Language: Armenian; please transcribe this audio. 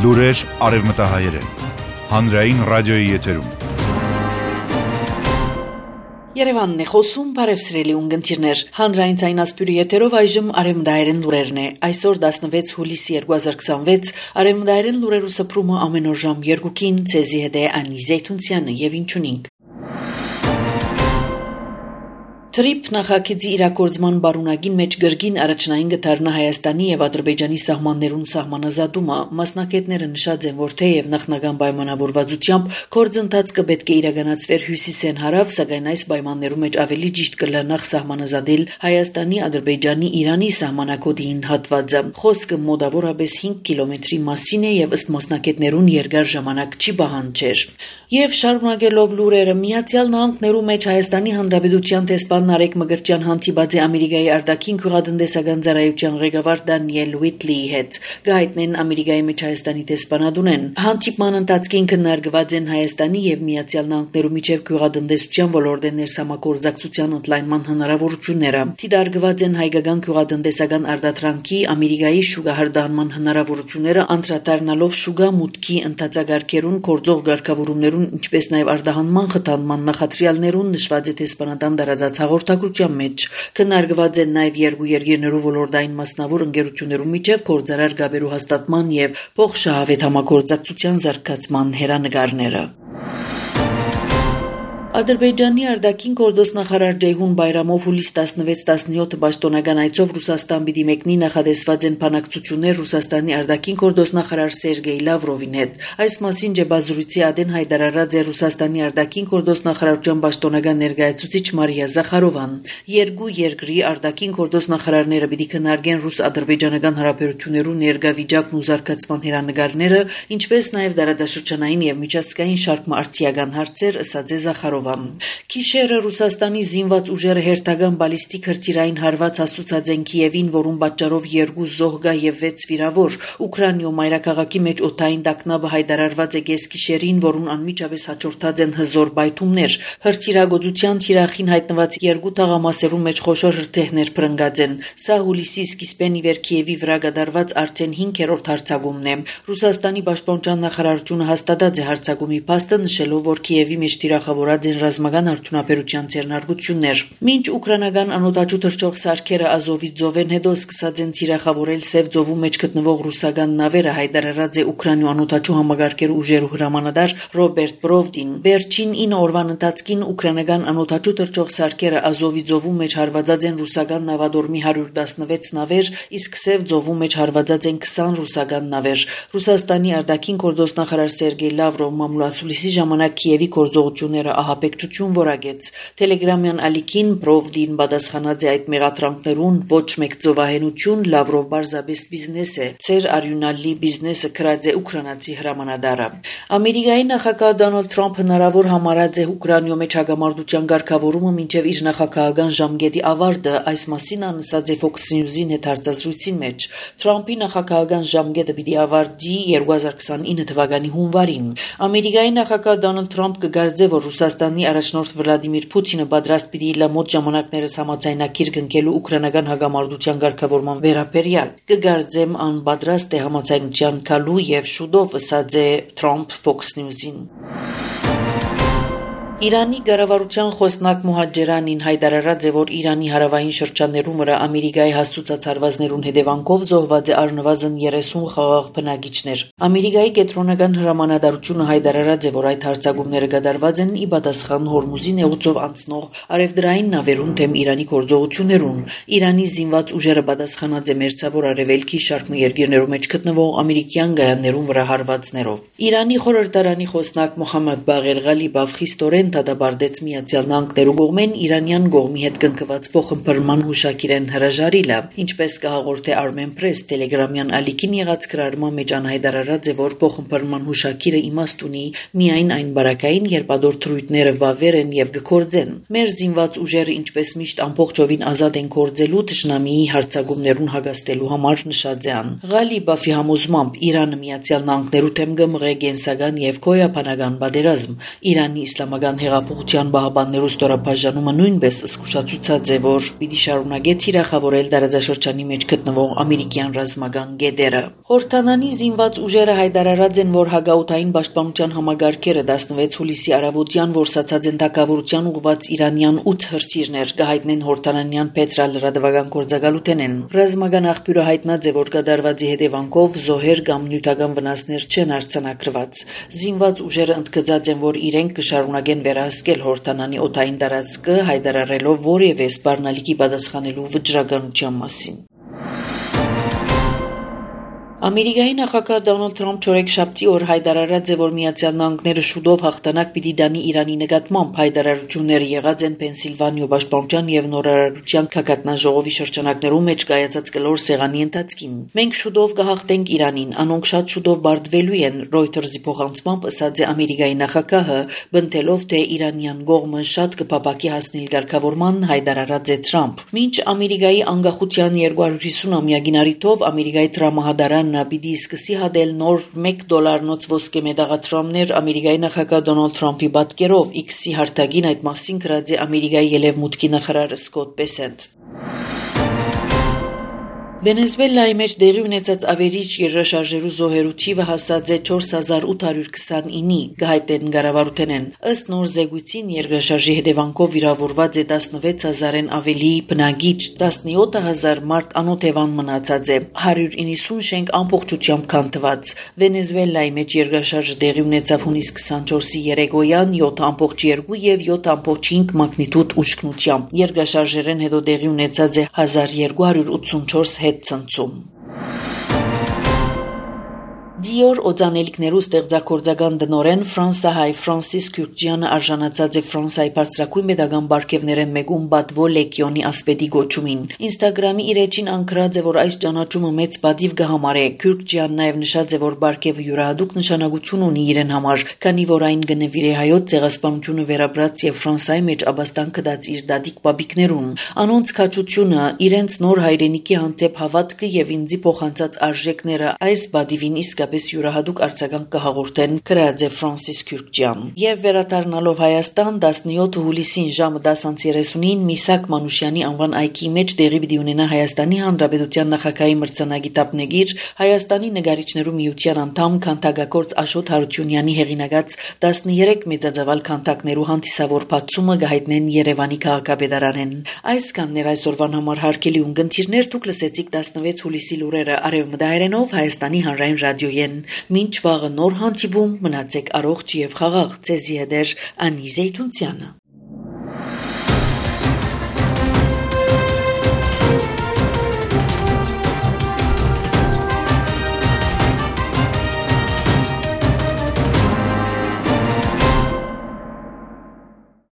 Լուրեր արևմտահայերեն, հանրային ռադիոյի եթերում։ Երևանն է խոսում, բարևսրելի ունգընտիրներ, հանրային ցայնասպյուրի եթերով այժմ արևմտահայերեն լուրերն է, այսօր 16 հուլիսի 2026, արևմտահայերեն լուրերու սփռումը ամեն օր ժամ 2-ին, ցեզի հետ է Անի Զեյթունցյանը եւ ինչունինք։ Թրիփ նախագծի իրագործման բարունակին մեջ գրգին առաջնային գտարնա Հայաստանի եւ Ադրբեջանի սահմաններուն սահմանազատումը մասնակիցները նշած են, որ թեև նախնական պայմանավորվածությամբ գործընթաց կպետք է իրականացվեր հյուսիսեն հարավ, սակայն այս պայմաններու մեջ ավելի ճիշտ կլանախ սահմանազատել Հայաստանի, Ադրբեջանի, Իրանի սահմանակոդին հատվածը։ Խոսքը մոտավորապես 5 կիլոմետրի մասին է եւ ըստ մասնակիցներուն երկար ժամանակ չի պահանջեր։ Եվ շարունակելով լուրերը, Միացյալ Նահանգներու մեջ Հայաստանի Հանրապետության տեսփան Նարեկ Մգրտչյան հանդիպած է Ամերիկայի արտաքին քյուղատնտեսական ծառայության ղեկավար Դանիել Ուիթլիի հետ։ Գայտնեն Ամերիկայի մեջ Հայաստանի տեսփանադունեն։ Հանդիպման ընթացքին քննարկված են Հայաստանի եւ Միացյալ Նահանգներու միջև քյուղատնտեսության ոլորտի ներսամագործակցության ընդլայնման հնարավորությունները։ Դիտարկված են հայկական քյուղատնտեսական արտադրանքի Ամերիկայի շուկահարդանման հնարավորությունները, անդրադառնալով շուկա մուտքի ընթացագարկերուն գործող ղեկավարումներուն, ինչպես նաեւ արտահանման խթանման նախադրյալներուն նշված է տեսփանատան դարածած հաղորդակցության մեջ քննարկված են նաև երկու երկրներու ոլորտային մասնավոր ընկերություններու միջև գործարար գաբերու հաստատման եւ փոխշահավետ համագործակցության զարգացման հերանեկարները։ Ադրբեջանի արտաքին գործոստ նախարար Ջեյհուն Բայրամով հուլիս 16-17 պաշտոնական այցով Ռուսաստան պիտի մեկնի նախադեсված են բանակցություններ Ռուսաստանի արտաքին գործոստ նախարար Սերգեյ Լավրովին հետ։ Այս մասին ջեբազուրիցի ադեն հայտարարած է Ռուսաստանի արտաքին գործոստ նախարարության պաշտոնական ներկայացուցիչ Մարիա Զախարովան։ Երկու երկրի արտաքին գործոստ նախարարները պիտի քննարկեն ռուս-ադրբեջանական հարաբերություններու ներկա վիճակն ու զարգացման հերանեկարները, ինչպես նաև դարաձաշրջանային եւ միջազգային շարք մարտիական հարցեր, ըսած է Զախարովան։ Քիշերը Ռուսաստանի զինված ուժերը հերթական բալիստիկ հրթիռային հարված հասցուցած են Կիևին, որում պատճառով 2 զոհգա եւ 6 վիրավոր։ Ուկրաինայում մայրաքաղաքի մեջ օդային տագնապը հայտարարված է գեսկիշերին, որուն անմիջապես հաջորդած են հզոր բայթումներ։ Հրթիռագործության թիրախին հայտնված 2 թաղամասերու մեջ խոշոր հրթիռներ փրկած են։ Սա հուլիսի սկիզբեն ի վեր Կիևի վրա կատարված արդեն 5-րդ հարձակումն է։ Ռուսաստանի պաշտպանության նախարարությունը հաստատած է հարձակումի փաստը, նշելով, որ Կիևի մեջ թիրախավորած են ռազմական արդյունաբերության ձեռնարկություններ։ Մինչ ուկրաինական անօդաչու թռչող սարքերը Ազովի ծովեն հետո սկսած են թիրախավորել Սև ծովու մեջ գտնվող ռուսական նավերը, հայտարարած է Ուկրաինու անօդաչու համագարկերու ուժերու հրամանատար Ռոբերտ Բրովդին։ Վերջին 9 օրվան ընթացքին ուկրաինական անօդաչու թռչող սարքերը Ազովի ծովու մեջ հարվածած են ռուսական նավադորմի 116 նավեր, իսկ Սև ծովու մեջ հարվածած են 20 ռուսական նավեր։ Ռուսաստանի արտաքին գործոստ նախարար Սերգեյ Լավրով մամուլացուլիսի ժամանակ Կիևի գործողությունները ահապեկչություն որակեց։ Տելեգրամյան ալիքին Բրովդին պատասխանած է այդ մեղադրանքներուն ոչ մեկ ծովահենություն, Լավրով բարձաբես բիզնես է, ծեր արյունալի բիզնեսը քրած է ուկրաինացի հրամանատարը։ Ամերիկայի նախագահ Դոնալդ Թրամփը հնարավոր համարած է Ուկրաինայում մեջ հագամարտության ղեկավարումը մինչև իր նախագահական ժամկետի ավարտը, այս մասին անսած է Fox News-ին հետ հարցազրույցին մեջ։ Թրամփի նախագահական ժամկետը պիտի ավարտի 2029 թվականի հունվարին։ Ամերիկայի նախագահ Դոնալդ Թրամփը կգարձե, որ Ռուսաստանի առաջնորդ Վլադիմիր Պուտինը պատրաստ պիտի լամոտ ժամանակներս համաձայնագիր կնքելու ուկրաինական հագամարտության ղեկավարման վերաբերյալ։ Կգարձեմ անպատրաստ է համաձայնության գալու եւ շուտով, ըսած է Թրամփ Fox News-ին։ Իրանի կառավարության խոսնակ Մոհաջերանին հայտարարած է, որ Իրանի հարավային շրջաններում վրա Ամերիկայի հաստուցած հարվածներուն հետևանքով զոհված է առնվազն 30 խաղաղ բնակիչներ։ Ամերիկայի կենտրոնական հրամանատարությունը հայտարարած է, որ այդ հարձակումները կատարված են ի պատասխան Հորմուզի նեղուցով անցնող արևդրային նավերուն դեմ Իրանի գործողություններուն։ Իրանի զինված ուժերը պատասխանած է մերձավոր արևելքի շարք երկրներու մեջ գտնվող ամերիկյան գայաններուն վրա հարվածներով։ Իրանի խորհրդարանի խոսնակ Մոհամմեդ Բաղեր Ղալիբով խիստորեն դադարեցրեց Միացյալ Նահանգներու կողմեն Իրանյան կողմի հետ կնքված փոխըմբռնման հուշագիրեն հրաժարիլը, ինչպես կհաղորդե Armen Press Telegram-յան ալիքին եղած գրառման մեջ անհայտարարած է, որ փոխըմբռնման հուշագիրը իմաստ ունի միայն այն բարակային, երբ ադոր թրույթները վավեր են եւ գործեն։ Մեր զինված ուժերը ինչպես միշտ ամբողջովին ազատ են գործելու թշնամիի հարձակումներուն հագաստելու համար, նշած է ան։ Ղալիբովի համոզմամբ Իրանը Միացյալ Նահանգներու դեմ կմղե կենսական եւ գոյաբանական պատերազմ։ Իրանի իսլամական հեղափոխության բահաբաններու ստորաբաժանումը նույնպես զսկուշացուցած է, որ պիտի շարունակե թիրախավորել տարածաշրջանի մեջ գտնվող ամերիկյան ռազմական գետերը։ Հորդանանի զինված ուժերը հայտարարած են, որ հագաուտային պաշտպանության համագարկերը 16 հուլիսի առավոտյան որսացած են թակավորության ուղված իրանյան 8 հրթիռներ, կհայտնեն հորդանանյան պետրալրատվական գործակալութենեն։ Ռազմական աղբյուրը հայտնած է, որ կատարվածի հետևանքով զոհեր կամ նյութական վնասներ չեն արձանագրված։ Զինված ուժերը ընդգծած են, որ իրենք կշարունակեն վերահսկել Հորդանանի օդային տարածքը, հայտարարելով որևէ սպառնալիքի պատասխանելու վճռականության մասին։ Ամերիկայի նախագահ Դոնալդ Թրամփ չորեքշաբթի օր հայտարարած է, որ Միացյալ Նահանգները շուտով հաղթանակ պիտի դանի Իրանի նկատմամբ։ Հայտարարությունները եղած են Պենսիլվանիա պաշտպանության եւ նորարարության քակատնաժողովի շրջանակներում մեջ կայացած կլոր սեղանի ընթացքին։ Մենք շուտով կհաղթենք Իրանին, անոնք շատ շուտով բարդվելու են, Reuters-ի փոխանցմամբ ասաց է Ամերիկայի նախագահը, բնտելով թե իրանյան կողմը շատ կփապակի հասնել ղեկավարման, հայտարարած է Թրամփ։ Մինչ Ամերիկայի անկախության 250-ամյակին առիթով Ամերիկայի տրամահադարան պիտի սկսի հատել նոր $1 ոսկե մետաղադրամներ Ամերիկայի նախագահ Դոնալդ Թրամփի պատկերով X-ի հարթակին այդ մասին գրած է Ամերիկայի ելևմուտքի նախարար Սկոտ Բեսենթ։ Վենեսուելայի մեջ դեղի ունեցած ավերիչ երկրաշարժերու զոհերու թիվը հասած է 4829-ի, գահայտեն կառավարութենեն։ Ըստ նոր զեկույցին երկրաշարժի հետևանքով վիրավորված է 16000-ն ավելի բնակիչ, 17000 մարդ անօթևան մնացած է, 190 շենք ամբողջությամբ քանդված։ Վենեսուելայի մեջ երկրաշարժը դեղի ունեցավ հունիս 24-ի երեկոյան 7.2 եւ 7.5 մագնիտուդ ուժգնությամբ։ Երկրաշարժերեն հետո դեղի ունեցած է 1284 ցնցում։ Dior օծանելիքներու ստեղծագործական դնորեն ֆրանսահայ Ֆրանսիս Քյուրքջյանը արժանացած է Ֆրանսիայի բարձրակույն պետական բարգևներեն մեկում Բադվո լեգիոնի ասպետի գոչումին։ Ինստագրամի իր էջին անկրած է, որ այս ճանաչումը մեծ պատիվ կհամարե։ Քյուրքջյանն նաև նշած է, որ բարգևը յուրահատուկ նշանակություն ունի իրեն համար, քանի որ այն կնվիրե հայոց ցեղասպանությունը վերաբրած եւ Ֆրանսիայի մեջ աբաստան կդած իր դադիկ բաբիկներուն։ Անոնց քաջությունը, իրենց նոր հայրենիքի հանդեպ հավատքը եւ ինձի փոխանցած արժեքները այս բադիվին իսկապես յուրահատուկ արձագանք կհաղորդեն, գրած է Ֆրանսիս Քյուրքջյան։ Եվ վերադառնալով Հայաստան 17 հուլիսին ժամը 10:30-ին Միսակ Մանուշյանի անվան այգի մեջ տեղի պիտի ունենա Հայաստանի Հանրապետության նախագահի մրցանակի տապնեգիր, Հայաստանի նկարիչներու միության անդամ քանդակագործ Աշոտ Հարությունյանի հեղինակած 13 մեծածավալ քանդակներու հանդիսավոր բացումը կհայտնեն Երևանի քաղաքապետարանեն։ Այսքաններ այսօրվան համար հարգելի ունգընտիրներ, դուք լսեցիք 16 հուլիսի լուրերը արևմտահայերենով Հայաստանի հանրային ռադիոյեն։ Մինչ վաղը նոր հանդիպում, մնացեք առողջ եւ խաղաղ։ Ձեզի հետ է Անի Զեյթունցյանը։